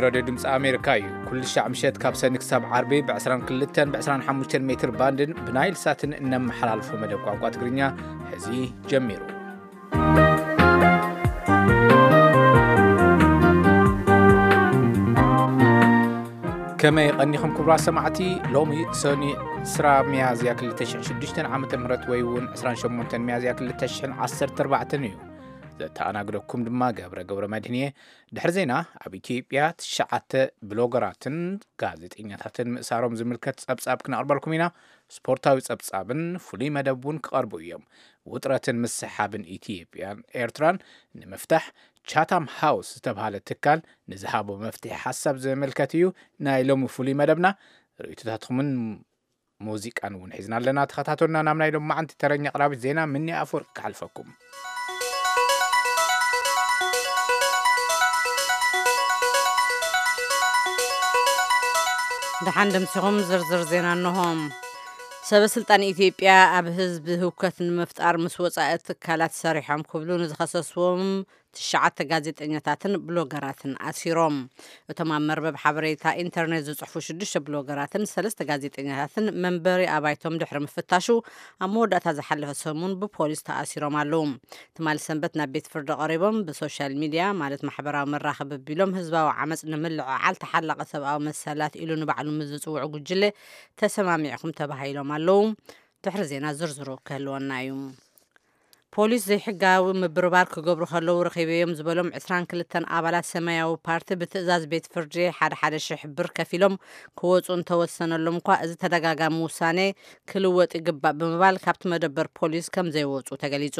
ራድዮ ድምፂ ኣሜሪካ እዩ። ኩሉ ሻዕ ምሸት ካብ ሰኒ ክሳብ ዓርቢ ብ22ን ብ25 ሜትር ባንድን ብናይል ሳትን እነመሓላልፎ መደብ ቋንቋ ትግርኛ ሕዚ ጀሚሩ። ከመይ ቀኒኹም ክቡራት ሰማዕቲ? ሎሚ ሰኒ 20 ሚያዝያ 2006 ዓመተ ምህረት ወይ እውን 28 ሚያዝያ 2014 እዩ። ዘተኣናግደኩም ድማ ገብረ ገብረ መድህን እየ። ድሕሪ ዜና፣ ኣብ ኢትዮጵያ ትሽዓተ ብሎገራትን ጋዜጠኛታትን ምእሳሮም ዝምልከት ጸብጻብ ክነቕርበልኩም ኢና። ስፖርታዊ ጸብጻብን ፍሉይ መደብ እውን ክቐርቡ እዮም። ውጥረትን ምስሓብን ኢትዮጵያን ኤርትራን ንምፍታሕ ቻታም ሃውስ ዝተባህለ ትካል ንዝሃቦ መፍትሒ ሓሳብ ዝምልከት እዩ ናይ ሎሚ ፍሉይ መደብና። ርእይቶታትኩምን ሙዚቃን እውን ሒዝና ኣለና። ተኸታተሉና። ናብ ናይ ሎማዓንቲ ተረኛ ኣቕራቢት ዜና ምኒ ኣፈወርቂ ክሓልፈኩም። ደሓን ደምሲኹም። ዝርዝር ዜና እንሆ። ሰበ ስልጣን ኢትዮጵያ ኣብ ህዝቢ ህውከት ንምፍጣር ምስ ወጻኢ ትካላት ሰሪሖም ክብሉ ንዝኸሰስዎም ትሽዓተ ጋዜጠኛታትን ብሎገራትን ኣሲሮም። እቶም ኣብ መርበብ ሓበሬታ ኢንተርኔት ዝጽሕፉ ሽዱሽተ ብሎገራትን ሰለስተ ጋዜጠኛታትን መንበሪ ኣባይቶም ድሕሪ ምፍታሹ፣ ኣብ መወዳእታ ዝሓለፈ ሰሙን ብፖሊስ ተኣሲሮም ኣለዉ። ትማሊ ሰንበት ናብ ቤት ፍርዲ ቀሪቦም፣ ብሶሻል ሚድያ ማለት ማሕበራዊ መራኸቢ ኣቢሎም ህዝባዊ ዓመፅ ንምልዕዓል ተሓላቒ ሰብኣዊ መሰላት ኢሉ ንባዕሉ ምስ ዝጽውዑ ጉጅለ ተሰማሚዕኹም ተባሂሎም ኣለዉ። ድሕሪ ዜና ዝርዝሩ ክህልወና እዩ። ፖሊስ ዘይሕጋዊ ምብርባር ክገብሩ ከለዉ ረኺበዮም ዝበሎም 22 ኣባላት ሰማያዊ ፓርቲ ብትእዛዝ ቤት ፍርዲ ሓደ ሓደ ሽሕ ብር ከፊሎም ክወፁ እንተወሰነሎም እኳ፣ እዚ ተደጋጋሚ ውሳኔ ክልወጥ ይግባእ ብምባል ካብቲ መደበር ፖሊስ ከም ዘይወፁ ተገሊጹ።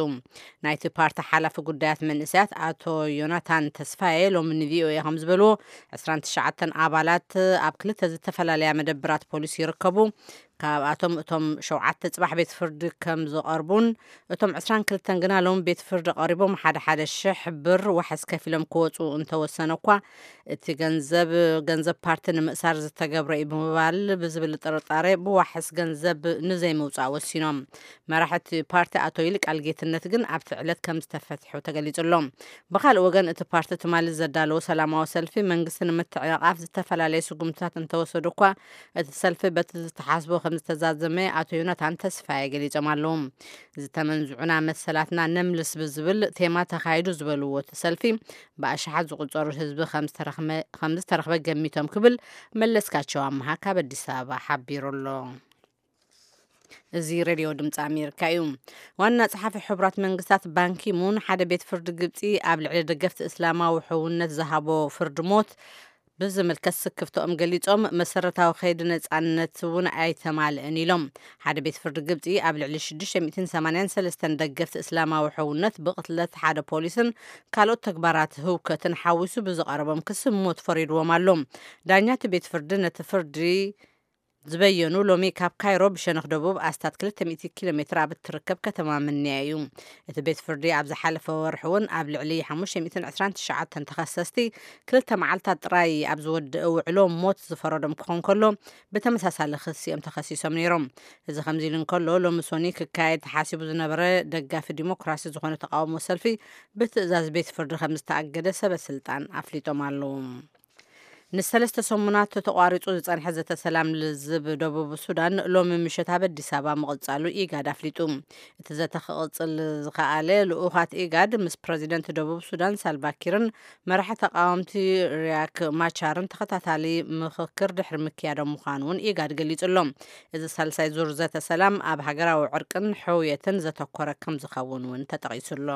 ናይቲ ፓርቲ ሓላፊ ጉዳያት መንእሰያት ኣቶ ዮናታን ተስፋዬ ሎሚ ንቪኦኤ ከም ዝበልዎ፣ 29 ኣባላት ኣብ ክልተ ዝተፈላለያ መደበራት ፖሊስ ይርከቡ። ካብኣቶም እቶም ሸውዓተ ጽባሕ ቤት ፍርዲ ከም ዝቐርቡን እቶም 22 ግና ሎም ቤት ፍርዲ ቀሪቦም ሓደ ሓደ ሽሕ ብር ዋሕስ ከፊሎም ክወፁ እንተወሰነ እኳ፣ እቲ ገንዘብ፣ ገንዘብ ፓርቲ ንምእሳር ዝተገብረ እዩ ብምባል ብዝብል ጥርጣሬ ብዋሕስ ገንዘብ ንዘይምውፃእ ወሲኖም። መራሒ እቲ ፓርቲ ኣቶ ይልቃል ጌትነት ግን ኣብቲ ዕለት ከም ዝተፈትሑ ተገሊጹ ኣሎ። ብኻልእ ወገን፣ እቲ ፓርቲ ትማሊ ዘዳለዎ ሰላማዊ ሰልፊ መንግስቲ ንምትዕንቓፍ ዝተፈላለየ ስጉምትታት እንተወሰዱ እኳ፣ እቲ ሰልፊ በቲ ዝተሓስቦ ከም ዝተዛዘመ ኣቶ ዮናታን ተስፋዬ ገሊጾም ኣለዉ። ዝተመንዝዑና መሰላትና ነምልስ ብዝብል ቴማ ተኻይዱ ዝበልዎ እቲ ሰልፊ፣ ብኣሽሓት ዝቑጸሩ ህዝቢ ከም ዝተረኽመ-፣ ከም ዝተረኽበ ገሚቶም ክብል መለስካቸው ኣምሃ ካብ ኣዲስ ኣበባ ሓቢሩ ኣሎ። እዚ ሬድዮ ድምፂ ኣሜሪካ እዩ። ዋና ጸሓፊ ሕቡራት መንግስታት ባንኪ ሙን ሓደ ቤት ፍርዲ ግብፂ ኣብ ልዕሊ ደገፍቲ እስላማዊ ሕውነት ዝሃቦ ፍርዲ ሞት ብዝምልከት ስክፍትኦም ገሊጾም፣ መሰረታዊ ከይዲ ነጻነት እውን ኣይተማልእን ኢሎም። ሓደ ቤት ፍርዲ ግብጺ ኣብ ልዕሊ ሽዱሽተ ሚእትን ሰማንያን ሰለስተን ደገፍቲ እስላማዊ ሕውነት ብቕትለት ሓደ ፖሊስን ካልኦት ተግባራት ህውከትን ሓዊሱ ብዝቐረቦም ክሲ ሞት ፈሪድዎም ኣሎ። ዳኛ እቲ ቤት ፍርዲ ነቲ ፍርዲ ዝበየኑ ሎሚ ካብ ካይሮ ብሸነኽ ደቡብ ኣስታት ክልተ ሚእቲ ኪሎ ሜትር ኣብ እትርከብ ከተማ ምንያ እዩ። እቲ ቤት ፍርዲ ኣብ ዝሓለፈ ወርሒ እውን ኣብ ልዕሊ ሓሙሽተ ሚእትን ዕስራን ትሽዓተን ተኸሰስቲ ክልተ መዓልታት ጥራይ ኣብ ዝወደአ ውዕሎ ሞት ዝፈረዶም ክኾን ከሎ፣ ብተመሳሳሊ ክሲ እዮም ተኸሲሶም ነይሮም። እዚ ከምዚ ኢሉ እንከሎ፣ ሎሚ ሶኒ ክካየድ ተሓሲቡ ዝነበረ ደጋፊ ዲሞክራሲ ዝኾነ ተቃውሞ ሰልፊ ብትእዛዝ ቤት ፍርዲ ከም ዝተኣገደ ሰበ ስልጣን ኣፍሊጦም ኣለዉ። ንሰለስተ ሰሙናት ተቋሪጹ ዝጸንሐ ዘተ ሰላም ልዝብ ደቡብ ሱዳን ሎሚ ምሸት ኣብ ኣዲስ ኣበባ ምቕጻሉ ኢጋድ ኣፍሊጡ። እቲ ዘተ ክቕጽል ዝኸኣለ ልኡኻት ኢጋድ ምስ ፕረዚደንት ደቡብ ሱዳን ሳልቫኪርን መራሒ ተቃወምቲ ሪያክ ማቻርን ተኸታታሊ ምኽክር ድሕሪ ምክያዶም ምዃኑ እውን ኢጋድ ገሊጹ ኣሎ። እዚ ሳልሳይ ዙር ዘተ ሰላም ኣብ ሃገራዊ ዕርቅን ሕውየትን ዘተኮረ ከም ዝኸውን እውን ተጠቒሱ ኣሎ።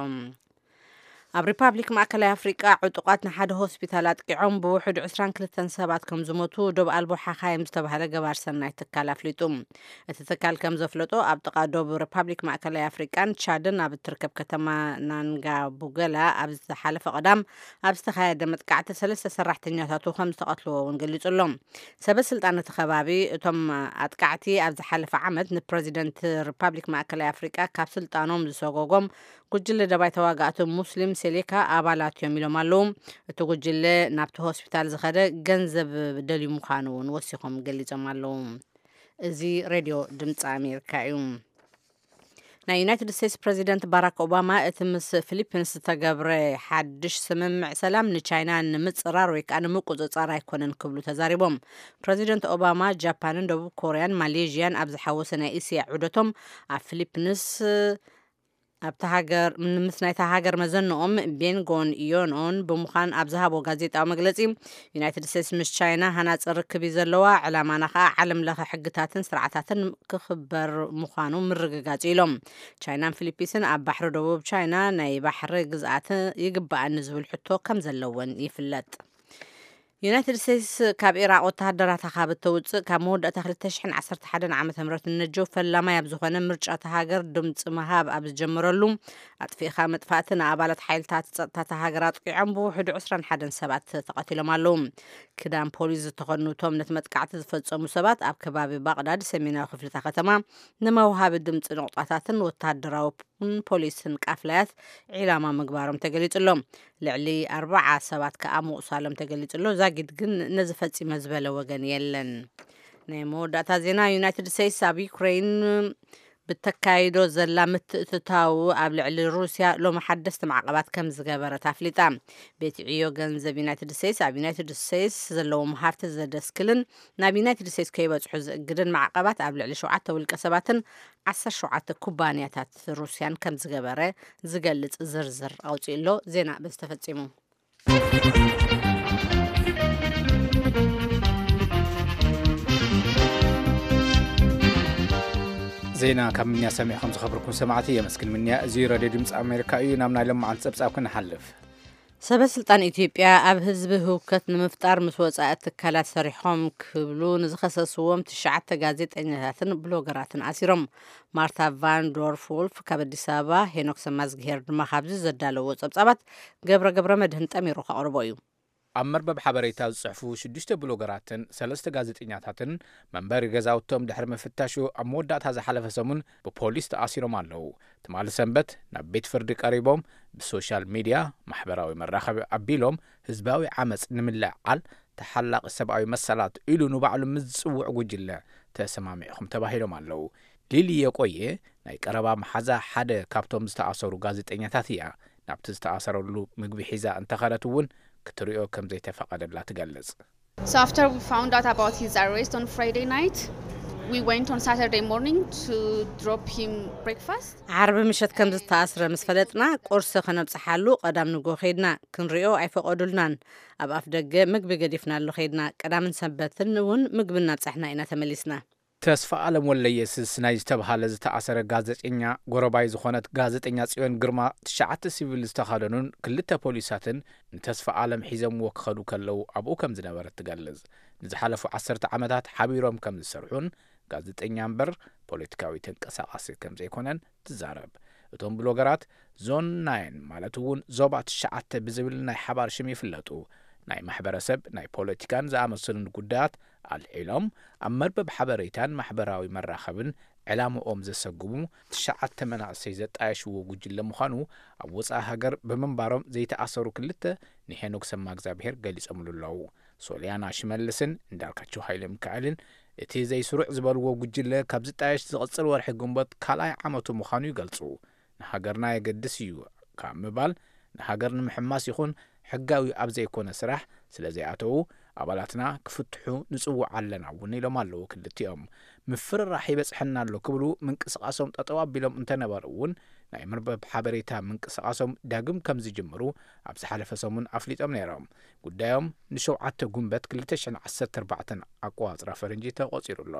ኣብ ሪፓብሊክ ማእከላይ ኣፍሪቃ ዕጡቓት ንሓደ ሆስፒታል ኣጥቂዖም ብውሑድ ዕስራን ክልተን ሰባት ከም ዝሞቱ ዶብ ኣልቦ ሓኻይም ዝተባህለ ገባር ሰናይ ትካል ኣፍሊጡ። እቲ ትካል ከም ዘፍለጦ፣ ኣብ ጥቓ ዶብ ሪፓብሊክ ማእከላይ ኣፍሪቃን ቻድን ኣብ እትርከብ ከተማ ናንጋቡገላ ኣብ ዝተሓለፈ ቀዳም ኣብ ዝተኻየደ መጥቃዕቲ ሰለስተ ሰራሕተኛታቱ ከም ዝተቐትልዎ እውን ገሊጹ ኣሎ። ሰበ ስልጣን እቲ ከባቢ፣ እቶም ኣጥቃዕቲ ኣብ ዝሓለፈ ዓመት ንፕረዚደንት ሪፓብሊክ ማእከላይ ኣፍሪቃ ካብ ስልጣኖም ዝሰጎጎም ጉጅለ ደባይ ተዋጋእቲ ሙስሊም ሴሌካ ኣባላት እዮም ኢሎም ኣለዉ። እቲ ጉጅለ ናብቲ ሆስፒታል ዝኸደ ገንዘብ ደልዩ ምዃኑ እውን ወሲኾም ገሊጾም ኣለዉ። እዚ ሬድዮ ድምፂ ኣሜሪካ እዩ። ናይ ዩናይትድ ስቴትስ ፕሬዚደንት ባራክ ኦባማ፣ እቲ ምስ ፊሊፒንስ ዝተገብረ ሓድሽ ስምምዕ ሰላም ንቻይና ንምጽራር ወይ ከዓ ንምቁጽጻር ኣይኮነን ክብሉ ተዛሪቦም። ፕሬዚደንት ኦባማ ጃፓንን ደቡብ ኮርያን ማሌዥያን ኣብ ዝሓወሰ ናይ እስያ ዑደቶም፣ ኣብ ፊሊፒንስ ኣብታ ሃገር፣ ምስ ናይታ ሃገር መዘንኦም ቤንጎን ዮንኦን ብምዃን ኣብ ዝሃቦ ጋዜጣዊ መግለጺ፣ ዩናይትድ ስቴትስ ምስ ቻይና ሃናጺ ርክብ እዩ ዘለዋ፣ ዕላማና ከዓ ዓለም ለኸ ሕግታትን ስርዓታትን ክኽበር ምዃኑ ምርግጋጽ ኢሎም። ቻይናን ፊሊፒንስን ኣብ ባሕሪ ደቡብ ቻይና ናይ ባሕሪ ግዝኣት ይግባኣኒ ዝብል ሕቶ ከም ዘለወን ይፍለጥ። ዩናይትድ ስቴትስ ካብ ኢራቕ ወተሃደራታ ካብ እተውፅእ ካብ መወዳእታ ክልተ ሽሕን ዓሰርተ ሓደን ዓመተ ምህረት ንነጀው ፈላማይ ኣብ ዝኾነ ምርጫ እታ ሃገር ድምፂ ምሃብ ኣብ ዝጀመረሉ፣ ኣጥፊእኻ ምጥፋእቲ ንኣባላት ሓይልታት ጸጥታ እታ ሃገር ኣጥቂዖም ብውሕዱ ዕስራን ሓደን ሰባት ተቐቲሎም ኣለዉ። ክዳን ፖሊስ ዝተኸድኑ እቶም ነቲ መጥቃዕቲ ዝፈጸሙ ሰባት ኣብ ከባቢ ባቕዳድ ሰሜናዊ ክፍልታ ከተማ ንመውሃቢ ድምፂ ንቑጣታትን ወተሃደራዊ ን ፖሊስን ቃፍላያት ዒላማ ምግባሮም ተገሊጹ ኣሎ። ልዕሊ ኣርባዓ ሰባት ከኣ ምቑሳሎም ተገሊጹ ኣሎ። ዛጊድ ግን ነዚ ፈጺመ ዝበለ ወገን የለን። ናይ መወዳእታ ዜና፣ ዩናይትድ ስቴትስ ኣብ ዩክሬን ብተካይዶ ዘላ ምትእትታው ኣብ ልዕሊ ሩስያ ሎሚ ሓደስቲ ማዕቐባት ከም ዝገበረት ኣፍሊጣ። ቤት ዕዮ ገንዘብ ዩናይትድ ስቴትስ ኣብ ዩናይትድ ስቴትስ ዘለዎም ሃፍቲ ዘደስክልን ናብ ዩናይትድ ስቴትስ ከይበጽሑ ዝእግድን ማዕቐባት ኣብ ልዕሊ ሸውዓተ ውልቀ ሰባትን ዓሰርተ ሸውዓተ ኩባንያታት ሩስያን ከም ዝገበረ ዝገልጽ ዝርዝር ኣውጺኡ ኣሎ። ዜና በዚ ተፈጺሙ። ዜና ካብ ምንያ ሰሚዕኹም ዝኸበርኩም ሰማዕቲ የመስግን። ምንያ፣ እዚ ሬድዮ ድምፂ ኣሜሪካ እዩ። ናብ ናይ ሎማዓንቲ ጸብጻብ ክንሓልፍ። ሰበ ስልጣን ኢትዮጵያ ኣብ ህዝቢ ህውከት ንምፍጣር ምስ ወጻኢ ትካላት ሰሪሖም ክብሉ ንዝኸሰስዎም ትሽዓተ ጋዜጠኛታትን ብሎገራትን ኣሲሮም። ማርታ ቫን ዶርፍ ውልፍ ካብ ኣዲስ ኣበባ፣ ሄኖክ ሰማዝግሄር ድማ ካብዚ ዘዳለዎ ጸብጻባት ገብረ ገብረ መድህን ጠሚሩ ከቕርቦ እዩ። ኣብ መርበብ ሓበሬታ ዝጽሕፉ ሽዱሽተ ብሎገራትን ሰለስተ ጋዜጠኛታትን መንበሪ ገዛውቶም ድሕሪ ምፍታሹ ኣብ መወዳእታ ዝሓለፈ ሰሙን ብፖሊስ ተኣሲሮም ኣለዉ። ትማሊ ሰንበት ናብ ቤት ፍርዲ ቀሪቦም ብሶሻል ሚድያ፣ ማሕበራዊ መራኸቢ ኣቢሎም ህዝባዊ ዓመፅ ንምልዕዓል ተሓላቒ ሰብኣዊ መሰላት ኢሉ ንባዕሉ ምስ ዝጽውዕ ጉጅለ ተሰማሚዕኹም ተባሂሎም ኣለዉ። ሊሊ የቆየ ናይ ቀረባ መሓዛ ሓደ ካብቶም ዝተኣሰሩ ጋዜጠኛታት እያ። ናብቲ ዝተኣሰረሉ ምግቢ ሒዛ እንተኸደት እውን ክትሪኦ ከም ዘይተፈቐደላ ትገልጽ። So after we found out about his arrest on Friday night, we went on Saturday morning to drop him breakfast. ዓርቢ ምሸት ከም ዝተኣስረ ምስ ፈለጥና፣ ቁርሲ ከነብጽሓሉ ቀዳም ንጎ ከይድና። ክንሪኦ ኣይፈቐዱልናን። ኣብ ኣፍ ደገ ምግቢ ገዲፍናሉ ከይድና። ቀዳምን ሰንበትን እውን ምግቢ እናብጻሕና ኢና ተመሊስና። ተስፋ ኣለም ወልደየስስ ናይ ዝተብሃለ ዝተኣሰረ ጋዜጠኛ፣ ጎረባይ ዝኾነት ጋዜጠኛ ጽዮን ግርማ፣ ትሽዓተ ሲቪል ዝተኸደኑን ክልተ ፖሊሳትን ንተስፋ ኣለም ሒዘምዎ ክኸዱ ከለዉ ኣብኡ ከም ዝነበረት ትገልጽ። ንዝሓለፉ ዓሰርተ ዓመታት ሓቢሮም ከም ዝሰርሑን፣ ጋዜጠኛ እምበር ፖለቲካዊ ተንቀሳቓሲ ከም ዘይኮነን ትዛረብ። እቶም ብሎገራት ዞን ናይን፣ ማለት እውን ዞባ ትሽዓተ ብዝብል ናይ ሓባር ሽም ይፍለጡ። ናይ ማሕበረሰብ፣ ናይ ፖለቲካን ዝኣመሰሉን ጉዳያት ኣልዒሎም ኣብ መርበብ ሓበሬታን ማሕበራዊ መራኸብን ዕላምኦም ዘሰግሙ ትሽዓተ መናእሰይ ዘጣየሽዎ ጉጅለ ምዃኑ ኣብ ወጻኢ ሃገር ብምንባሮም ዘይተኣሰሩ ክልተ ንሄኖክ ሰማእግዚኣብሄር ገሊጾምሉ ኣለዉ። ሶልያና ሽመልስን እንዳልካቸው ሃይለ ሚካኤልን እቲ ዘይስሩዕ ዝበልዎ ጉጅለ ካብ ዝጣየሽ ዝቕጽል ወርሒ ግንቦት ካልኣይ ዓመቱ ምዃኑ ይገልጹ። ንሃገርና የገድስ እዩ ካብ ምባል፣ ንሃገር ንምሕማስ ይኹን ሕጋዊ ኣብ ዘይኮነ ስራሕ ስለ ዘይኣተዉ፣ ኣባላትና ክፍትሑ ንጽውዕ ኣለና እውን ኢሎም ኣለዉ። ክልቲኦም ምፍርራሕ ይበጽሐና ኣሎ ክብሉ ምንቅስቓሶም ጠጠው ኣቢሎም እንተነበሩ እውን፣ ናይ መርበብ ሓበሬታ ምንቅስቓሶም ዳግም ከም ዝጅምሩ ኣብ ዝሓለፈ ሰሙን ኣፍሊጦም ነይሮም። ጉዳዮም ንሸውዓተ ጉንበት ክልተ ሽሕን ዓሰርተ ኣርባዕተን ኣቆጻጽራ ፈረንጂ ተቖጺሩ ኣሎ።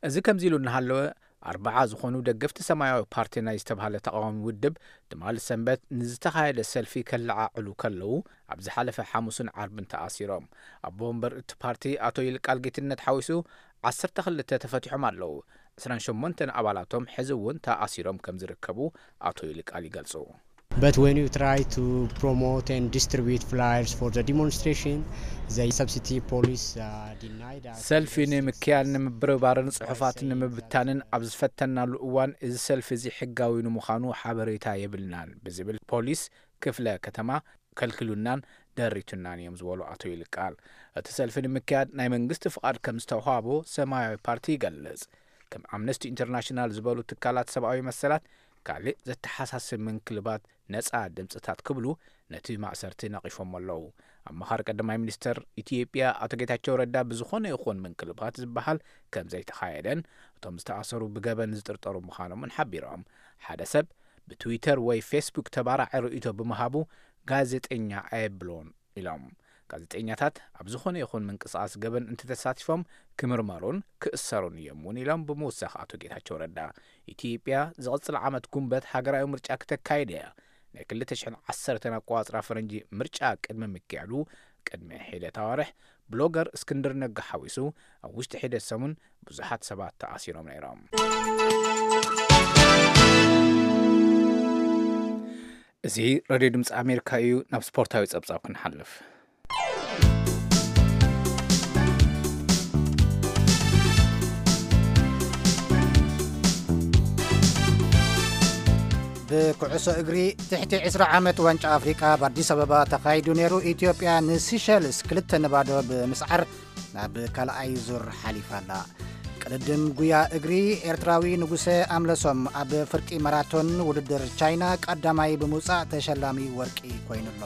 እዚ ከምዚ ኢሉ እናሃለወ፣ ኣርባዓ ዝኾኑ ደገፍቲ ሰማያዊ ፓርቲ ናይ ዝተባህለ ተቓዋሚ ውድብ ትማሊ ሰንበት ንዝተኻየደ ሰልፊ ከለዓዕሉ ከለዉ፣ ኣብ ዝሓለፈ ሓሙስን ዓርብን ተኣሲሮም። ኣቦ ወንበር እቲ ፓርቲ ኣቶ ይልቃል ጌትነት ሓዊሱ ዓሰርተ ክልተ ተፈቲሖም ኣለዉ። ዕስራን ሸሞንተን ኣባላቶም ሕዚ እውን ተኣሲሮም ከም ዝርከቡ ኣቶ ይልቃል ይገልጹ። But when you try to promote and distribute flyers for the demonstration, the substitute police, uh, denied us ሰልፊ ንምክያድ ንምብርባርን ጽሑፋት ንምብታንን ኣብ ዝፈተናሉ እዋን፣ እዚ ሰልፊ እዚ ሕጋዊ ንምዃኑ ሓበሬታ የብልናን ብዝብል ፖሊስ ክፍለ ከተማ ከልክሉናን ደሪቱናን እዮም ዝበሉ ኣቶ ይልቃል፣ እቲ ሰልፊ ንምክያድ ናይ መንግስቲ ፍቓድ ከም ዝተዋህቦ ሰማያዊ ፓርቲ ይገልጽ። ከም ኣምነስቲ ኢንተርናሽናል ዝበሉ ትካላት ሰብኣዊ መሰላት ካልእ ዘተሓሳስብ ምንክልባት ነጻ ድምጽታት ክብሉ ነቲ ማእሰርቲ ነቒፎም ኣለዉ። ኣማኻሪ ቀዳማይ ሚኒስተር ኢትዮጵያ ኣቶ ጌታቸው ረዳ ብዝኾነ ይኹን ምንክልባት ዝበሃል ከም ዘይተኻየደን እቶም ዝተኣሰሩ ብገበን ዝጥርጠሩ ምዃኖምን ሓቢሮም። ሓደ ሰብ ብትዊተር ወይ ፌስቡክ ተባራዒ ርእይቶ ብምሃቡ ጋዜጠኛ ኣየብሎን ኢሎም። ጋዜጠኛታት ኣብ ዝኾነ ይኹን ምንቅስቓስ ገበን እንተተሳቲፎም ክምርመሩን ክእሰሩን እዮም እውን ኢሎም ብምውሳኽ ኣቶ ጌታቸው ረዳ። ኢትዮጵያ ዝቕጽል ዓመት ጉንበት ሃገራዊ ምርጫ ክተካይድ እያ። ናይ ክልተ ሽሕን ዓሰርተን ኣቆጻጽራ ፈረንጂ ምርጫ ቅድሚ ምክያዱ ቅድሚ ሒደት ኣዋርሕ ብሎገር እስክንድር ነጋ ሓዊሱ ኣብ ውሽጢ ሒደት ሰሙን ብዙሓት ሰባት ተኣሲሮም ነይሮም። እዚ ሬድዮ ድምፂ ኣሜሪካ እዩ። ናብ ስፖርታዊ ጸብጻብ ክንሓልፍ። ብኩዕሶ እግሪ ትሕቲ ዕስራ ዓመት ዋንጫ ኣፍሪቃ ኣብ ኣዲስ ኣበባ ተኻይዱ ነይሩ። ኢትዮጵያ ንሲሸልስ ክልተ ንባዶ ብምስዓር ናብ ካልኣይ ዙር ሓሊፋ ኣላ። ቅድድም ጉያ እግሪ ኤርትራዊ ንጉሰ ኣምለሶም ኣብ ፍርቂ ማራቶን ውድድር ቻይና ቀዳማይ ብምውጻእ ተሸላሚ ወርቂ ኮይኑሎ።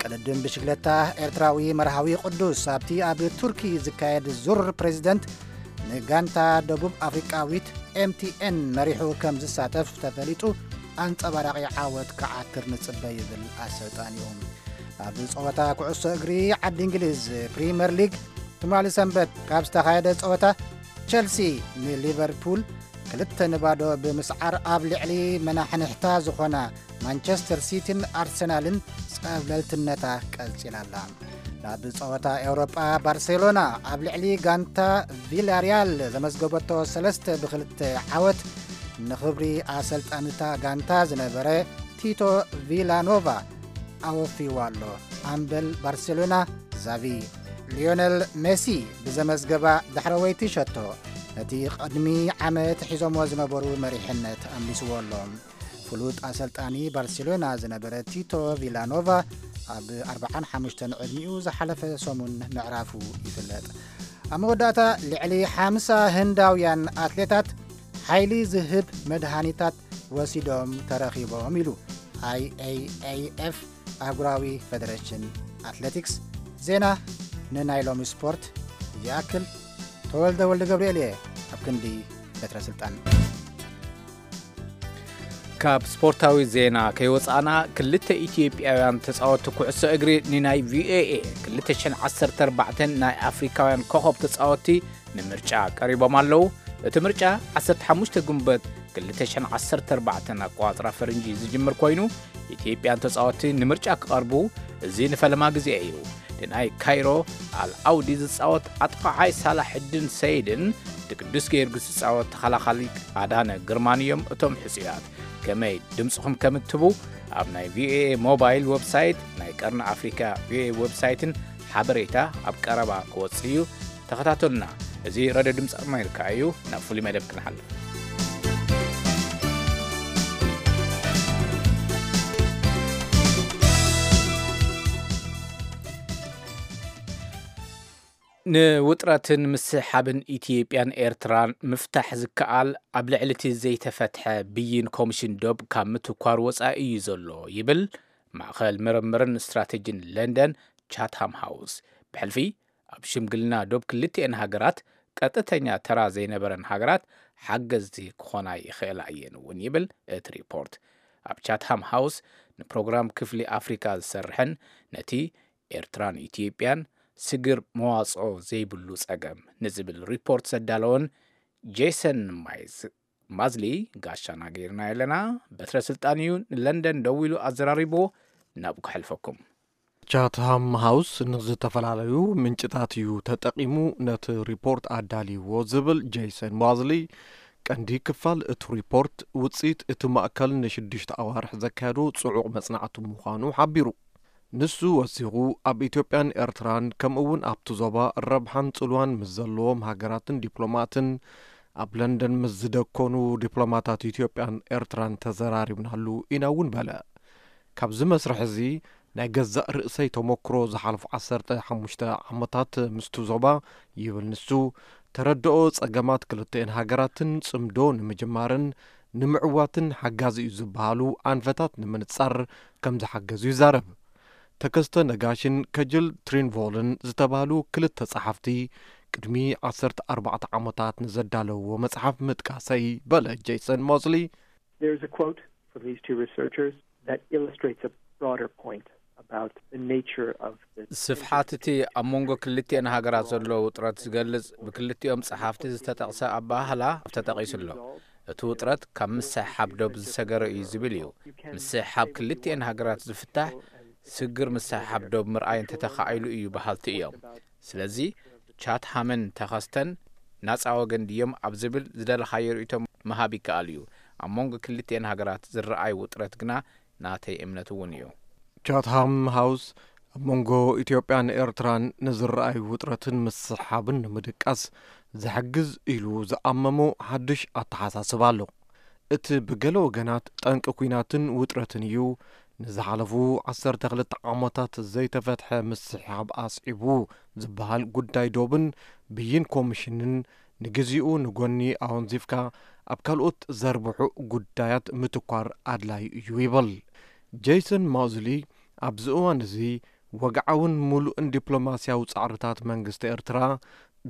ቅድድም ብሽግለታ ኤርትራዊ መርሃዊ ቅዱስ ኣብቲ ኣብ ቱርኪ ዝካየድ ዙር ፕሬዚደንት ንጋንታ ደቡብ ኣፍሪቃዊት ኤምቲኤን መሪሑ ከም ዝሳተፍ ተፈሊጡ ኣንጸባራቒ ዓወት ክዓትር ንጽበ ይብል ኣሰልጣኒኡ። ኣብ ጸወታ ኩዕሶ እግሪ ዓዲ እንግሊዝ ፕሪምየር ሊግ ትማሊ ሰንበት ካብ ዝተኻየደ ጸወታ ቸልሲ ንሊቨርፑል ክልተ ንባዶ ብምስዓር ኣብ ልዕሊ መናሕንሕታ ዝኾና ማንቸስተር ሲቲን ኣርሰናልን ጸብለልትነታ ቀጺላ ኣላ። ናብ ጸወታ ኤውሮጳ ባርሴሎና ኣብ ልዕሊ ጋንታ ቪላሪያል ዘመዝገበቶ ሰለስተ ብክልተ ዓወት ንኽብሪ ኣሰልጣንታ ጋንታ ዝነበረ ቲቶ ቪላኖቫ ኣወፊዋ ኣሎ። ኣምበል ባርሴሎና ዛቪ ሊዮነል ሜሲ ብዘመዝገባ ዳሕረወይቲ ሸቶ ነቲ ቅድሚ ዓመት ሒዞሞ ዝነበሩ መሪሕነት ኣምሊስዎ ኣሎ። ፍሉጥ ኣሰልጣኒ ባርሴሎና ዝነበረ ቲቶ ቪላኖቫ ኣብ ኣርብዓን ሓሙሽተን ዕድሚኡ ዝሓለፈ ሰሙን ምዕራፉ ይፍለጥ። ኣብ መወዳእታ ልዕሊ ሓምሳ ህንዳውያን ኣትሌታት ሓይሊ ዝህብ መድሃኒታት ወሲዶም ተረኺቦም ኢሉ ኣይኤኣይኤፍ ኣህጉራዊ ፌደሬሽን ኣትሌቲክስ። ዜና ንናይ ሎሚ ስፖርት ይኣክል። ተወልደ ወልደ ገብርኤል እየ ኣብ ክንዲ በትረ ስልጣን። ካብ ስፖርታዊ ዜና ከይወጻእና ክልተ ኢትዮጵያውያን ተጻወትቲ ኩዕሶ እግሪ ንናይ ቪኦኤ ክልተ ሽሕን ዓሰርተ ኣርባዕተን ናይ ኣፍሪካውያን ኮኸብ ተጻወትቲ ንምርጫ ቀሪቦም ኣለዉ። እቲ ምርጫ ዓሰርተ ሓሙሽተ ጉንበት ክልተ ሽሕን ዓሰርተ ኣርባዕተን ኣቆጻጽራ ፈረንጂ ዝጅምር ኮይኑ ኢትዮጵያን ተጻወትቲ ንምርጫ ክቐርቡ እዚ ንፈለማ ግዜ እዩ። ንናይ ካይሮ ኣል ኣውዲ ዝጻወት ኣጥቃዓይ ሳላሕድን ሰይድን ንቅዱስ ጊዮርጊስ ዝጻወት ተኸላኻሊ ኣዳነ ግርማን እዮም እቶም ሕጹያት። ከመይ ድምጽኹም ከም እትህቡ ኣብ ናይ ቪኦኤ ሞባይል ዌብሳይት፣ ናይ ቀርኒ ኣፍሪካ ቪኦኤ ዌብሳይትን ሓበሬታ ኣብ ቀረባ ክወጽእ እዩ። ተኸታተሉና። እዚ ረድዮ ድምፂ ኣሜሪካ እዩ። ናብ ፍሉይ መደብ ክንሓልፍ። ንውጥረትን ምስሕሓብን ኢትዮጵያን ኤርትራን ምፍታሕ ዝከኣል ኣብ ልዕሊ እቲ ዘይተፈትሐ ብይን ኮሚሽን ዶብ ካብ ምትኳር ወጻኢ እዩ ዘሎ ይብል ማእኸል ምርምርን ስትራቴጂን ለንደን ቻትሃም ሃውስ። ብሕልፊ ኣብ ሽምግልና ዶብ ክልቲኤን ሃገራት ቀጥተኛ ተራ ዘይነበረን ሃገራት ሓገዝቲ ክኾና ይኽእላ እየን እውን ይብል እቲ ሪፖርት። ኣብ ቻትሃም ሃውስ ንፕሮግራም ክፍሊ ኣፍሪካ ዝሰርሕን ነቲ ኤርትራን ኢትዮጵያን ስግር መዋፅኦ ዘይብሉ ፀገም ንዝብል ሪፖርት ዘዳለወን ጄሰን ማይዝ ማዝሊ ጋሻና ገይርና ኣለና። በትረ ስልጣን እዩ ንለንደን ደዊሉ ኣዘራሪብዎ። ናብኡ ከሕልፈኩም። ቻትሃም ሃውስ ንዝተፈላለዩ ምንጭታት እዩ ተጠቒሙ ነቲ ሪፖርት ኣዳልይዎ ዝብል ጄሰን ማዝሊ፣ ቀንዲ ክፋል እቲ ሪፖርት ውፅኢት እቲ ማእከል ንሽዱሽተ ኣዋርሕ ዘካየዶ ጽዑቕ መጽናዕቲ ምዃኑ ሓቢሩ። ንሱ ወሲኹ፣ ኣብ ኢትዮጵያን ኤርትራን ከምኡ እውን ኣብቲ ዞባ ረብሓን ጽልዋን ምስ ዘለዎም ሃገራትን ዲፕሎማትን ኣብ ለንደን ምስ ዝደኮኑ ዲፕሎማታት ኢትዮጵያን ኤርትራን ተዘራሪብናሉ ኢና እውን በለ። ካብዚ መስርሕ እዚ ናይ ገዛእ ርእሰይ ተመክሮ ዝሓለፉ ዓሰርተ ሓሙሽተ ዓመታት ምስቲ ዞባ ይብል ንሱ፣ ተረድኦ ጸገማት ክልተኤን ሃገራትን ጽምዶ ንምጅማርን ንምዕዋትን ሓጋዚ እዩ ዝበሃሉ ኣንፈታት ንምንጻር ከም ዝሓገዙ ይዛረብ። ተከስተ ነጋሽን ከጅል ትሪንቮልን ዝተባህሉ ክልተ ጸሓፍቲ ቅድሚ ዓሰርተ ኣርባዕተ ዓመታት ንዘዳለውዎ መጽሓፍ ምጥቃሰይ በለ ጄሰን ሞስሊ። There's a quote from these two researchers that illustrates a broader point about the nature of the ስፍሓት እቲ ኣብ መንጎ ክልቲኤን ሃገራት ዘሎ ውጥረት ዝገልጽ ብክልቲኦም ጸሓፍቲ ዝተጠቕሰ ኣበሃህላ ተጠቒሱ ኣሎ። እቲ ውጥረት ካብ ምስሕሓብ ዶብ ዝሰገረ እዩ ዝብል እዩ። ምስሕሓብ ክልቲኤን ሃገራት ዝፍታሕ ስግር ምስሕሓብ ዶብ ምርኣይ እንተተኻኢሉ እዩ በሃልቲ እዮም። ስለዚ ቻትሃምን ተኸስተን ናጻ ወገን ድዮም ኣብ ዝብል ዝደለኻዮ ርእይቶ ምሃብ ይከኣል እዩ። ኣብ መንጎ ክልቲኤን ሃገራት ዝረኣይ ውጥረት ግና ናተይ እምነት እውን እዩ። ቻትሃም ሃውስ ኣብ መንጎ ኢትዮጵያን ኤርትራን ንዝረኣይ ውጥረትን ምስሕሓብን ንምድቃስ ዝሕግዝ ኢሉ ዝኣመሞ ሓድሽ ኣተሓሳስባ ኣሎ። እቲ ብገለ ወገናት ጠንቂ ኲናትን ውጥረትን እዩ። ንዝሓለፉ ዓሰርተ ክልተ ዓመታት ዘይተፈትሐ ምስሕሓብ ኣስዒቡ ዝበሃል ጉዳይ ዶብን ብይን ኮሚሽንን ንግዚኡ ንጎኒ ኣወንዚፍካ ኣብ ካልኦት ዘርብሑ ጉዳያት ምትኳር ኣድላዩ እዩ ይብል። ጄሰን ማውዝሊ ኣብዚ እዋን እዚ ወግዓውን ምሉእን ዲፕሎማስያዊ ጻዕርታት መንግስቲ ኤርትራ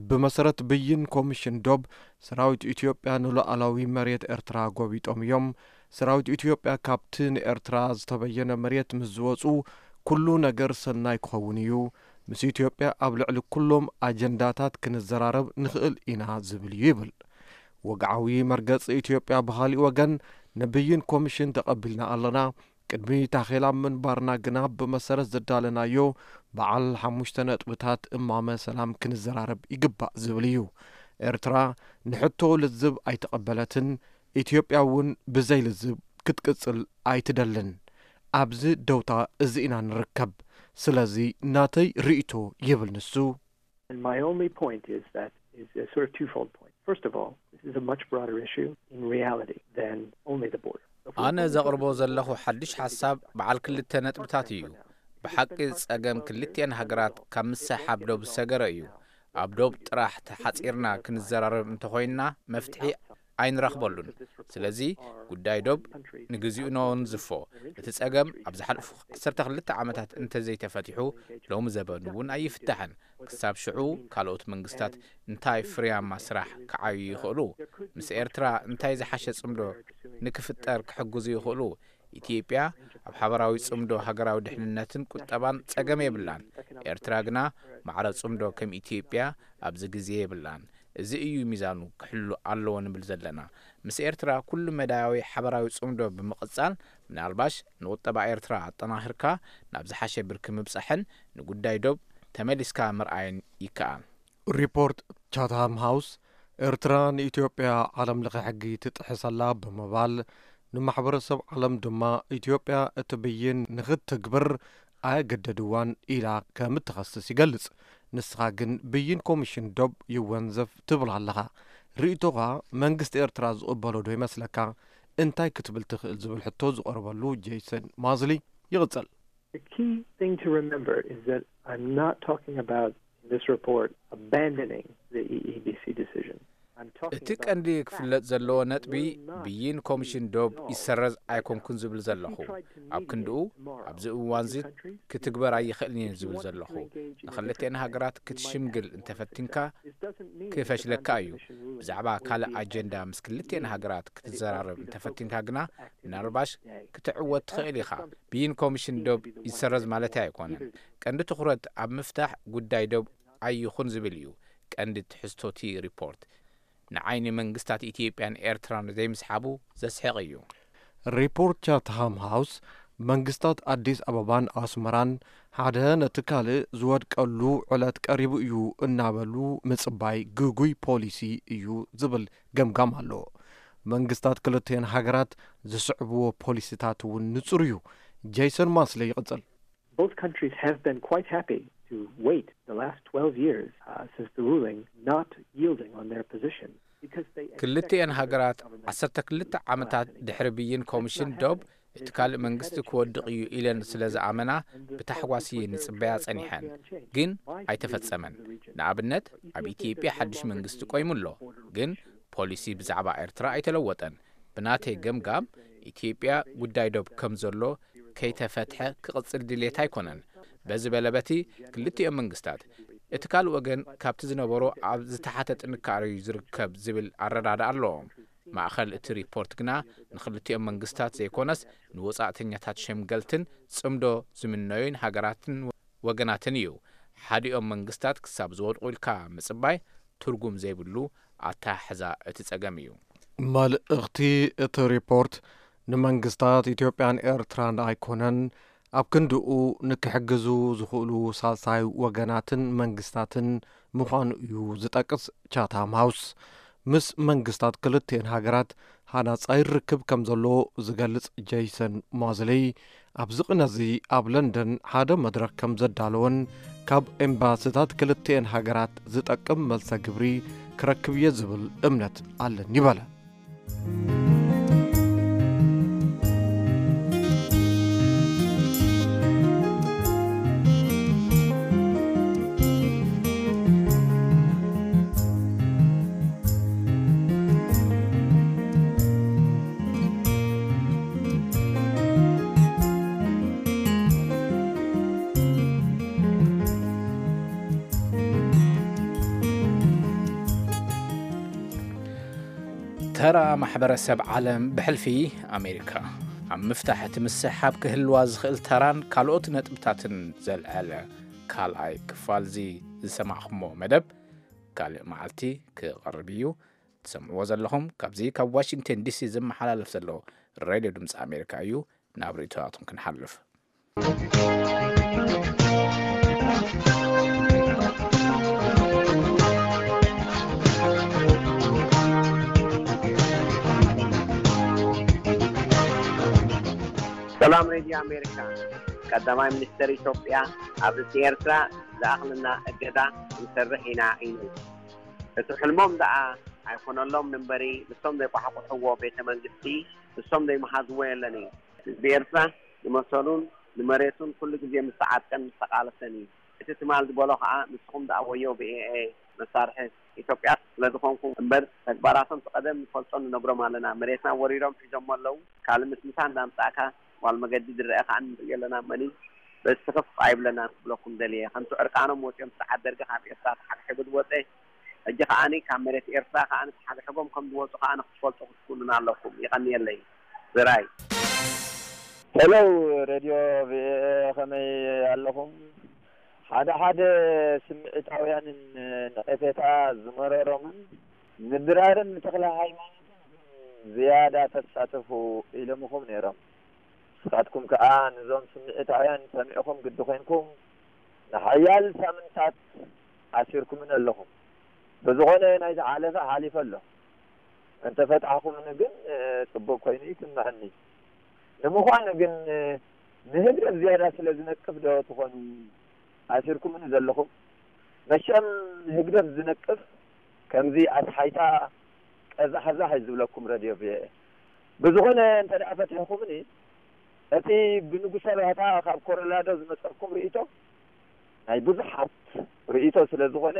ብመሰረት ብይን ኮሚሽን ዶብ ሰራዊት ኢትዮጵያ ንሉዓላዊ መሬት ኤርትራ ጎቢጦም እዮም። ሰራዊት ኢትዮጵያ ካብቲ ንኤርትራ ዝተበየነ መሬት ምስ ዝወጹ ኩሉ ነገር ሰናይ ክኸውን እዩ። ምስ ኢትዮጵያ ኣብ ልዕሊ ኩሎም ኣጀንዳታት ክንዘራረብ ንኽእል ኢና ዝብል እዩ ይብል። ወግዓዊ መርገጺ ኢትዮጵያ ብኻሊእ ወገን ንብይን ኮሚሽን ተቐቢልና ኣለና። ቅድሚ ታኼላ ምንባርና ግና ብመሰረት ዘዳለናዮ በዓል ሓሙሽተ ነጥብታት እማመ ሰላም ክንዘራረብ ይግባእ ዝብል እዩ። ኤርትራ ንሕቶ ልዝብ ኣይተቐበለትን። ኢትዮጵያ እውን ብዘይ ልዝብ ክትቅጽል ኣይትደልን። ኣብዚ ደውታ እዚ ኢና ንርከብ። ስለዚ ናተይ ርእይቶ ይብል ንሱ። And my only point is that is a sort of twofold point. First of all, this is a much broader issue in reality than only the border. If we ኣነ only ዘቕርቦ focus on ዘለኹ border ሓድሽ issues, ሓሳብ በዓል ክልተ ነጥብታት እዩ። ብሓቂ ጸገም ክልቲኤን ሃገራት ካብ ምስሕሓብ ዶብ ዝሰገረ እዩ። ኣብ ዶብ ጥራሕ ተሓጺርና ክንዘራረብ እንተኾይንና መፍትሒ ኣይንረኽበሉን። ስለዚ ጉዳይ ዶብ ንግዚኡ ነወንዝፎ። እቲ ጸገም ኣብ ዝሓለፉ ዓሰርተ ክልተ ዓመታት እንተዘይተፈቲሑ ሎሚ ዘበን እውን ኣይፍታሕን። ክሳብ ሽዑ ካልኦት መንግስታት እንታይ ፍርያማ ስራሕ ክዓዩ ይኽእሉ? ምስ ኤርትራ እንታይ ዝሓሸ ጽምዶ ንክፍጠር ክሕግዙ ይኽእሉ? ኢትዮጵያ ኣብ ሓበራዊ ጽምዶ ሃገራዊ ድሕንነትን ቁጠባን ጸገም የብላን። ኤርትራ ግና ማዕረ ጽምዶ ከም ኢትዮጵያ ኣብዚ ግዜ የብላን። እዚ እዩ ሚዛኑ ክሕሉ ኣለዎ ንብል ዘለና። ምስ ኤርትራ ኩሉ መዳያዊ ሓበራዊ ጽምዶ ብምቕጻል ምናልባሽ ንቁጠባ ኤርትራ ኣጠናኺርካ ናብ ዝሓሸ ብርኪ ምብጻሕን ንጉዳይ ዶብ ተመሊስካ ምርኣይን ይከኣል። ሪፖርት ቻትሃም ሃውስ ኤርትራ ንኢትዮጵያ ዓለም ለኸ ሕጊ ትጥሕሰላ ብምባል ንማሕበረሰብ ዓለም ድማ ኢትዮጵያ እቲ ብይን ንኽትግብር ኣየገደድዋን ኢላ ከም እትኸስስ ይገልጽ። ንስኻ ግን ብይን ኮሚሽን ዶብ ይወንዘፍ ትብል ኣለኻ። ርእይቶኻ መንግስቲ ኤርትራ ዝቕበሎ ዶ ይመስለካ? እንታይ ክትብል ትኽእል ዝብል ሕቶ ዝቐርበሉ ጄሰን ማዝሊ ይቕጽል። The key thing to remember is that I'm not talking about in this report abandoning the E E B C decision. I'm talking እቲ about ቀንዲ the fact ክፍለጥ ዘለዎ that ነጥቢ we're not ብይን ኮሚሽን ዶብ ይሰረዝ ኣይኮንኩን ዝብል ዘለኹ። ኣብ ክንድኡ ኣብዚ እዋን እዚ ክትግበር ኣይኽእልን እየ ዝብል ዘለኹ። ንክልቲኤን ሃገራት ክትሽምግል እንተፈቲንካ ክፈሽለካ እዩ። ብዛዕባ ካልእ ኣጀንዳ ምስ ክልቲኤን ሃገራት ክትዘራረብ እንተፈቲንካ ግና ምናልባሽ ክትዕወት ትኽእል ኢኻ። ብይን ኮሚሽን ዶብ ይሰረዝ ማለተይ ኣይኮነን። ቀንዲ ትኹረት ኣብ ምፍታሕ ጉዳይ ዶብ ኣይኹን ዝብል እዩ ቀንዲ ትሕዝቶ እቲ ሪፖርት። ንዓይኒ መንግስታት ኢትዮጵያን ኤርትራን ዘይምስሓቡ ዘስሕቕ እዩ። ሪፖርት ቻትሃም ሃውስ መንግስታት ኣዲስ ኣበባን ኣስመራን ሓደ ነቲ ካልእ ዝወድቀሉ ዕለት ቀሪቡ እዩ እናበሉ ምጽባይ ግጉይ ፖሊሲ እዩ ዝብል ገምጋም ኣሎ። መንግስታት ክልቲኤን ሃገራት ዝስዕብዎ ፖሊሲታት እውን ንጹር እዩ። ጄሰን ማስለ ይቕጽል። Both countries have been quite happy to wait the last twelve years uh, since the ruling, not yielding on their position. Because they ክልቲኤን expected ሃገራት the government ዓሰርተ ክልተ ዓመታት ድሕሪ ብይን ኮሚሽን ዶብ እቲ ካልእ መንግስቲ ክወድቕ እዩ ኢለን ስለ ዝኣመና ብታሕጓስ እየን ይጽበያ ጸኒሐን። ግን ኣይተፈጸመን። ንኣብነት ኣብ ኢትዮጵያ ሓድሽ መንግስቲ ቆይሙ ኣሎ። ግን ፖሊሲ ብዛዕባ ኤርትራ ኣይተለወጠን። ብናተይ ገምጋም፣ ኢትዮጵያ ጉዳይ ዶብ ከም ዘሎ ከይተፈትሐ ክቕጽል ድሌት ኣይኮነን። በዚ በለበቲ ክልቲኦም መንግስታት፣ እቲ ካልእ ወገን ካብቲ ዝነበሮ ኣብ ዝተሓተ ጥንካረ እዩ ዝርከብ ዝብል ኣረዳድኣ ኣለዎም። ማእኸል እቲ ሪፖርት ግና ንክልቲኦም መንግስታት ዘይኮነስ ንወጻእተኛታት ሸምገልትን ጽምዶ ዝምነዩን ሃገራትን ወገናትን እዩ። ሓዲኦም መንግስታት ክሳብ ዝወድቑ ኢልካ ምጽባይ ትርጉም ዘይብሉ ኣተሓሕዛ እቲ ጸገም እዩ። መልእኽቲ እቲ ሪፖርት ንመንግስታት ኢትዮጵያን ኤርትራን ኣይኮነን፣ ኣብ ክንድኡ ንክሕግዙ ዝኽእሉ ሳልሳይ ወገናትን መንግስታትን ምዃኑ እዩ ዝጠቅስ ቻታም ሃውስ። ምስ መንግስታት ክልቲኤን ሃገራት ሃናጻይ ርክብ ከም ዘሎ ዝገልጽ ጀይሰን ሞዝሊ፣ ኣብዚ ቅነዚ ኣብ ለንደን ሓደ መድረኽ ከም ዘዳለወን ካብ ኤምባስታት ክልቲኤን ሃገራት ዝጠቅም መልሰ ግብሪ ክረክብ እየ ዝብል እምነት ኣለኒ በለ። ተራ ማሕበረሰብ ዓለም ብሕልፊ ኣሜሪካ ኣብ ምፍታሕ እቲ ምስሕሓብ ክህልዋ ዝኽእል ተራን ካልኦት ነጥብታትን ዘልዐለ ካልኣይ ክፋልዚ ዝሰማዕኹሞ መደብ ካልእ መዓልቲ ክቐርብ እዩ። ትሰምዕዎ ዘለኹም ካብዚ ካብ ዋሽንግተን ዲሲ ዝመሓላለፍ ዘሎ ሬድዮ ድምፂ ኣሜሪካ እዩ። ናብ ርእይቶታቱም ክንሓልፍ። ሰላም ሬድዮ ኣሜሪካ። ቀዳማይ ሚኒስተር ኢትዮጵያ ኣብ ርእሲ ኤርትራ ዝኣኽለና እገዳ ክንሰርሕ ኢና ኢሉ። እቲ ሕልሞም ደኣ ኣይኮነሎም እምበሪ፣ ንሶም ዘይቋሕቁሕዎ ቤተ መንግስቲ፣ ንሶም ዘይመሃዝዎ የለን እዩ። ህዝቢ ኤርትራ ንመሰሉን ንመሬቱን ኩሉ ግዜ ምስ ተዓጥቀን ምስ ተቓለሰን እዩ። እቲ ትማል ዝበሎ ከኣ ንስኹም ደኣ ወዮ ብኤኤ መሳርሒ ኢትዮጵያ ስለ ዝኾንኩም እምበር፣ ተግባራቶም እቲ ቀደም ንፈልጦ ንነግሮም ኣለና። መሬትና ወሪሮም ሒዞሞ ኣለዉ። ካልእ ምስምሳ እንዳምጻእካ ጓል መገዲ ዝረአ ከኣ ንርኢ ኣለና። መኒ በዚ ስኽፍ ኣይብለናን ክብለኩም ደልየ። ከምቲ ዕርቃኖም ወጺኦም ስርዓት ደርጊ ካብ ኤርትራ ተሓግሒጉ ዝወጸ፣ ሕጂ ከኣኒ ካብ መሬት ኤርትራ ከኣኒ ተሓግሒጎም ከም ዝወጹ ከኣኒ ክትፈልጡ ክትክእሉን ኣለኩም። ይቐንየለይ። ዝራይ። ሄሎ፣ ሬድዮ ቪኦኤ፣ ከመይ ኣለኹም? ሓደ ሓደ ስምዒታውያንን ነቐፌታ ዝመረሮምን ምድራርን ንተኽለ ሃይማኖትን ዝያዳ ተሳተፉ ኢሎምኹም ነይሮም። ንስኻትኩም ከኣ ንዞም ስምዒታውያን ሰሚዕኹም ግዲ ኮይንኩም ንሓያል ሳምንታት ኣሲርኩምን ኣለኹም። ብዝኾነ ናይዚ ሓለፈ ሓሊፈ ኣሎ። እንተፈታሕኩምኒ ግን፣ እ፣ ጽቡቕ ኮይኑ ይስምዐኒ። ንምዃኑ ግን፣ እ፣ ንህግደፍ ዝያዳ ስለ ዝነቅፍ ዶ ትኾኑ ኣሲርኩምኒ ዘለኹም? መቸም ንህግደፍ ዝነቅፍ ከምዚ ኣስሓይታ ቀዛሕዛሕ እዩ ዝብለኩም ረድዮ ቪኦኤ። ብዝኾነ እንተ ደኣ ፈቲሕኩምኒ፣ እቲ ብንጉሰ ባህታ ካብ ኮሎራዶ ዝመጸኩም ርእይቶ ናይ ብዙሓት ርእይቶ ስለ ዝኾነ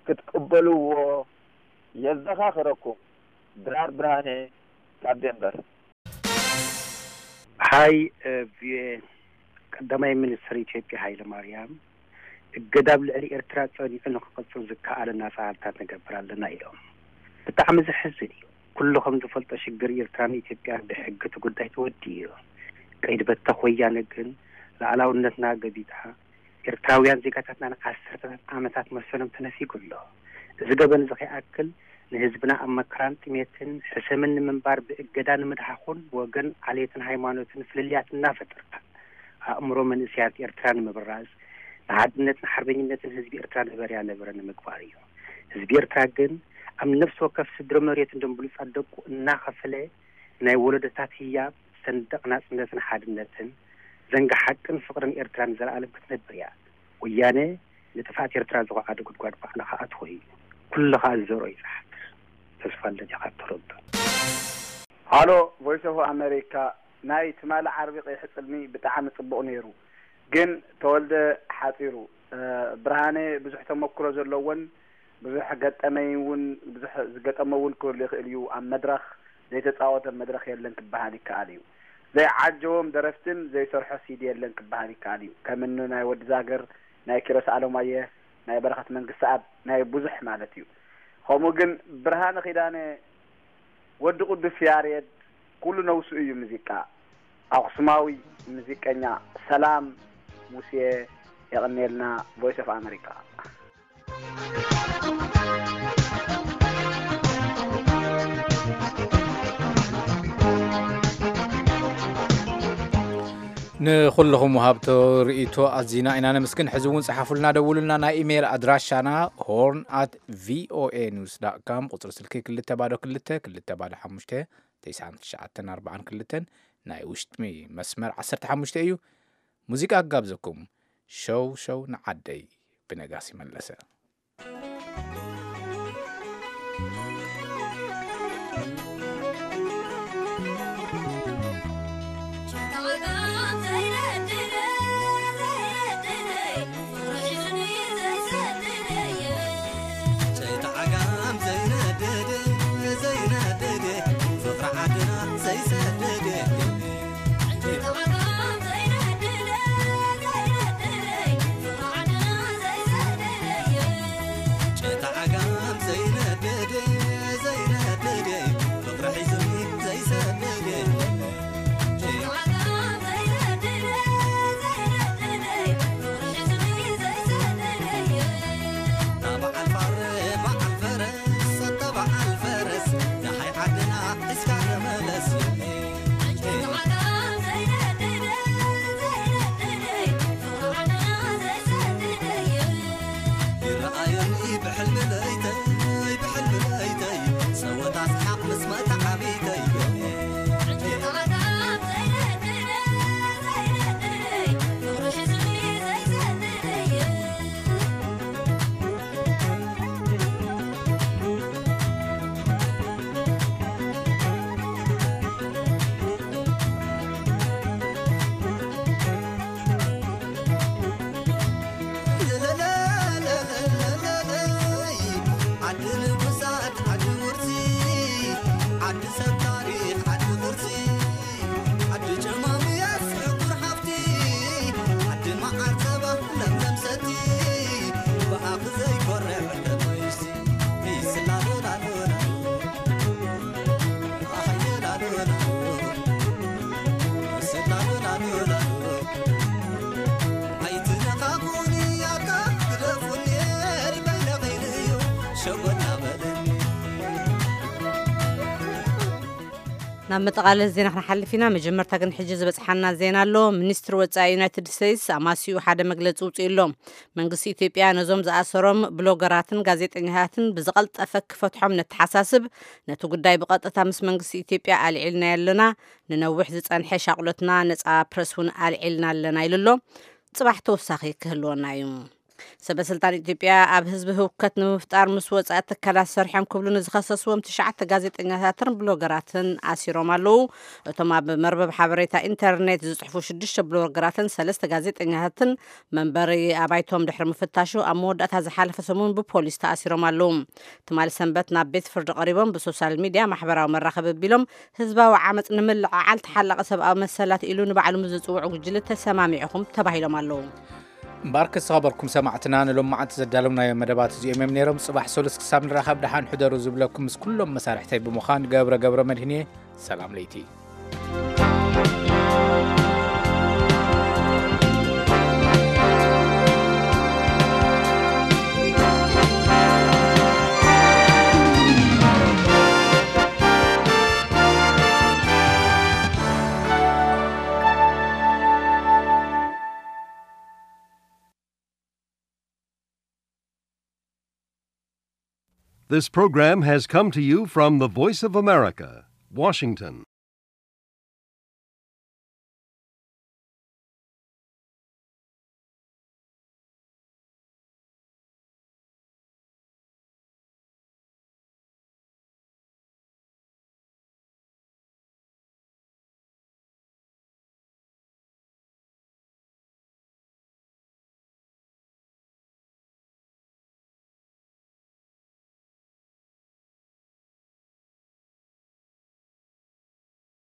ክትቅበልዎ የዘኻኽረኩም። ድራር ብርሃነ ካብ ዴንቨር። ሃይ፣ እ፣ ቪኦኤ፣ ቀዳማይ ሚኒስትር ኢትዮጵያ ሃይለ ማርያም እገዳ ኣብ ልዕሊ ኤርትራ ጸኒዑ ንክቕጽል ዝከኣለና ጻዕርታት ንገብር ኣለና ኢሎም። ብጣዕሚ ዘሕዝን እዩ። ኩሉ ከም ዝፈልጦ ሽግር ኤርትራን ኢትዮጵያን ብሕጊ እቲ ጉዳይ ተወዲኡ እዩ። ቀይዲ በተኽ ወያነ ግን ልኣላውነትና ገቢጣ ኤርትራውያን ዜጋታትና ንዓሰርተታት ዓመታት መሰሎም ተነፊጉ ኣሎ። እዚ ገበን እዚ ከይኣክል ንህዝብና ኣብ መከራን ጥሜትን ሕሰምን ንምንባር ብእገዳ ንምድሓኹን ብወገን ዓሌትን ሃይማኖትን ፍልልያት እናፈጠርካ ኣእምሮ መንእሰያት ኤርትራ ንምብራዝ ንሓድነትን ሓርበኝነትን ህዝቢ ኤርትራ ነበረያ ነበረ ንምግባር እዩ። ህዝቢ ኤርትራ ግን ኣብ ነፍሲ ወከፍ ስድሪ መሬቱን ደም ብሉጻት ደቁ እናኸፈለ ናይ ወለዶታት ህያብ ሰንደቕ ናጽነትን ሓድነትን ዘንጋ ሓቅን ፍቕርን ኤርትራ ንዘለኣለም ክትነብር እያ። ወያነ ንጥፍኣት ኤርትራ ዝኹዓደ ጉድጓድ ባዕልኻ ኣትዎ እዩ። ኩልኻ ዝዘርኦ ይጽሓፍ። ተስፋ ልደት ኢኻ እተረዶ። ሃሎ ቮይስ ኦፍ ኣሜሪካ፣ ናይ ትማሊ ዓርቢ ቀይሕ ጽልሚ ብጣዕሚ ጽቡቕ ነይሩ፣ ግን ተወልደ ሓጺሩ። ብርሃነ ብዙሕ ተመክሮ ዘለዎን ብዙሕ ገጠመኝ እውን ብዙሕ ዝገጠሞ እውን ክህሉ ይኽእል እዩ ኣብ መድረኽ። ዘይተጻወተ መድረኽ የለን ክበሃል ይከኣል እዩ። ዘይዓጀቦም ደረፍትን ዘይሰርሖ ሲዲ የለን ክበሃል ይከኣል እዩ። ከም እኒ ናይ ወዲ ዛገር፣ ናይ ኪሮስ ኣለማየህ፣ ናይ በረኸት መንግስተኣብ፣ ናይ ብዙሕ ማለት እዩ። ከምኡ ግን ብርሃነ ኪዳነ፣ ወዲ ቅዱስ ያሬድ፣ ኩሉ ነብሱ እዩ ሙዚቃ። ኣኽሱማዊ ሙዚቀኛ ሰላም ሙሴ፣ የቐንየልና። ቮይስ ኦፍ ኣመሪካ። ንኹልኹም ወሃብቶ ርእይቶ ኣዚና ኢና ነመስግን። ሕዚ እውን ጸሓፉልና፣ ደውሉልና። ናይ ኢሜይል ኣድራሻና ሆርን ኣት ቪኦኤ ኒውስ ዳት ካም፣ ቁጽሪ ስልኪ ክልተ ባዶ ክልተ፣ ክልተ ባዶ ሓሙሽተ፣ ተስዓን ትሽዓተን ኣርባዓን ክልተን፣ ናይ ውሽጢ መስመር ዓሰርተ ሓሙሽተ እዩ። ሙዚቃ ክጋብዘኩም፣ ሸው ሸው ንዓደይ ብነጋሲ መለሰ። ናብ መጠቓለሊ ዜና ክንሓልፍ ኢና። መጀመርታ ግን ሕጂ ዝበጽሓና ዜና ኣሎ። ሚኒስትሪ ወጻኢ ዩናይትድ ስቴትስ ኣማሲኡ ሓደ መግለጺ ውጽኡ ኣሎ። መንግስቲ ኢትዮጵያ ነዞም ዝኣሰሮም ብሎገራትን ጋዜጠኛታትን ብዝቐልጠፈ ክፈትሖም ነተሓሳስብ። ነቲ ጉዳይ ብቐጥታ ምስ መንግስቲ ኢትዮጵያ ኣልዒልናዮ ኣለና። ንነዊሕ ዝጸንሐ ሻቕሎትና ነጻ ፕረስ እውን ኣልዒልና ኣለና ኢሉ ኣሎ። ጽባሕ ተወሳኺ ክህልወና እዩ። ሰበ ስልጣን ኢትዮጵያ ኣብ ህዝቢ ህውከት ንምፍጣር ምስ ወጻኢ ትካላት ሰሪሖም ክብሉ ንዝኸሰስዎም ትሽዓተ ጋዜጠኛታትን ብሎገራትን ኣሲሮም ኣለዉ። እቶም ኣብ መርበብ ሓበሬታ ኢንተርኔት ዝጽሕፉ ሽዱሽተ ብሎገራትን ሰለስተ ጋዜጠኛታትን መንበሪ ኣባይቶም ድሕሪ ምፍታሹ ኣብ መወዳእታ ዝሓለፈ ሰሙን ብፖሊስ ተኣሲሮም ኣለዉ። ትማሊ ሰንበት ናብ ቤት ፍርዲ ቀሪቦም ብሶሻል ሚድያ ማሕበራዊ መራኸቢ ኣቢሎም ህዝባዊ ዓመፅ ንምልዕዓል ተሓላቒ ሰብኣዊ መሰላት ኢሉ ንባዕሉ ምስ ዝፅውዑ ጉጅለ ተሰማሚዕኹም ተባሂሎም ኣለዉ። እምበኣር ክሰኸበርኩም ሰማዕትና ንሎም መዓልቲ ዘዳለውናዮ መደባት እዚኦም እዮም ነይሮም። ጽባሕ ሰሉስ ክሳብ ንራኸብ ደሓን ሕደሩ ዝብለኩም ምስ ኩሎም መሳርሕተይ ብምዃን ገብረ ገብረ መድህን እየ። ሰላም ለይቲ። This program has come to you from the Voice of America, Washington.